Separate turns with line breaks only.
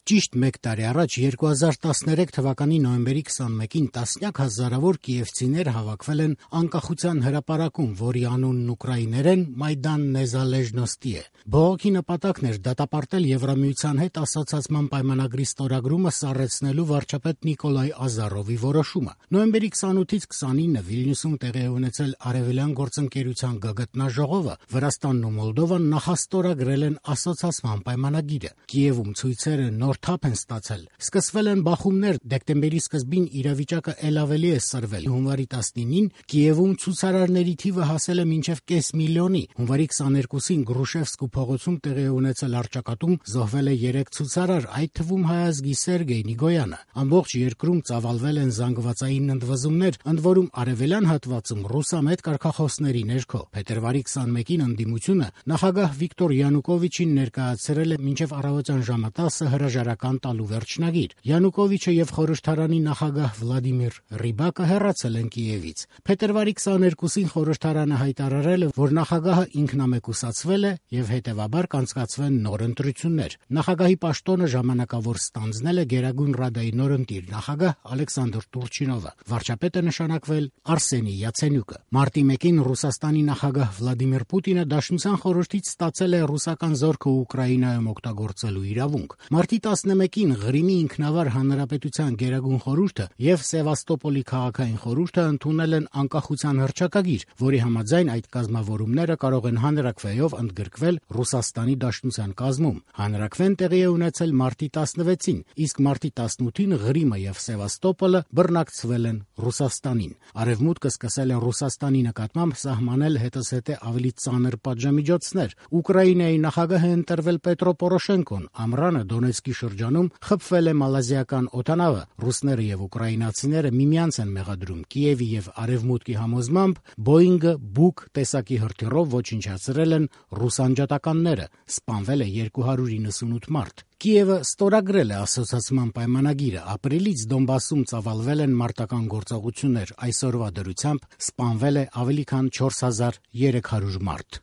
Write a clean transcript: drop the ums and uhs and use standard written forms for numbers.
Ճիշտ մեկ տարի առաջ 2013 թվականի նոյեմբերի 21-ին տասնյակ հազարավոր կիևցիներ հավաքվել են անկախության հրապարակում, որի անունն ուկրաիներեն Մայդան Նեզալեժնոստի է։ Բողոքի նպատակն էր դատապարտել Եվրամիության հետ ասոցիացման պայմանագրի ստորագրումը սառեցնելու վարչապետ Նիկոլայ Ազարովի որոշումը։ Նոյեմբերի 28-ից 29-ը Վիլնյուսում տեղի է ունեցել Արևելյան գործընկերության գագաթնաժողովը, Վրաստանն ու Մոլդովան նախաստորագրել են ասոցիացման պայմանագիրը։ Կիևում ցույցերը նոր թափ են ստացել։ Սկսվել են բախումներ, դեկտեմբերի սկզբին իրավիճակը ել ավելի է սրվել։ Հունվարի 19-ին Կիևում ցուցարարների թիվը հասել է մինչև կես միլիոնի։ Հունվարի 22-ին Գրուշևսկու փողոցում տեղի է ունեցել առճակատում, զոհվել է 3 ցուցարար, այդ թվում հայազգի Սերգեյ Նիգոյանը։ Ամբողջ երկրում ծավալվել են զանգվածային ընդվզումներ, ընդ որում արևելյան հատվածում ռուսամետ կարգախոսների ներքո։ Փետրվարի 21-ին ընդդիմությունը նախագահ Վիկտոր Յանուկովիչին ներկայացրել է մինչև առավոտյան ժամը 10-ը հրաժարական տալու վերջնագիր։ Յանուկովիչը եւ խորհրդարանի նախագահ Վլադիմիր Ռիբակը հեռացել են Կիևից։ Փետրվարի 22-ին խորհրդարանը հայտարարել է, որ նախագահը ինքնամեկուսացվել է եւ հետեւաբար կանցկացվեն նոր ընտրություններ։ Նախագահի պաշտոնը ժամանակավոր ստանձնել է Գերագույն Ռադայի նորընտիր նախագահ Ալեքսանդր Տուրչինովը։ Վարչապետը նշանակվել Արսենի Յացենյուկը։ Մարտի 1-ին Ռուսաստանի նախագահ Վլադիմիր Պուտինը Դաշնության խորհրդից ստացել է ռուսական զորքը Ուկրաինայում օգտագործելու իրավունք։ Մարտի 11-ին Ղրիմի ինքնավար հանրապետության Գերագույն խորհուրդը եւ Սևաստոպոլի քաղաքային խորհուրդը ընդունել են անկախության հռչակագիր, որի համաձայն այդ կազմավորումները կարող են հանրաքվեով ընդգրկվել Ռուսաստանի Դաշնության կազմում։ Հանրաքվեն տեղի է ունեցել մարտի 16-ին, իսկ մարտի 18-ին Ղրիմը եւ Սևաստոպոլը բռնակցվել են Ռուսաստանին։ Արևմուտքը սկսել է Ռուսաստանի նկատմամբ սահմանել հետզհետե ավելի ծանր պատժամիջոցներ։ Ուկրաինայի նախագահ է ընտրվել Պետրո Պորոշենկոն, ամռանը Դոնեցկի շրջանում խփվել է մալազիական օդանավը։ Ռուսները եւ ուկրաինացիները միմյանց են մեղադրում։ Կիևի եւ Արևմուտքի համոզմամբ Boeing-ը Buk տեսակի հրթիռով ոչնչացրել են ռուս անջատականները։ Սպանվել է 298 մարդ։ Կիևը ստորագրել է ասոցիացման պայմանագիրը։ Ապրիլից Դոնբասում ծավալվել են մարտական գործողություններ։ Այսօրվա դրությամբ սպանվել է ավելի քան 4300 մարդ։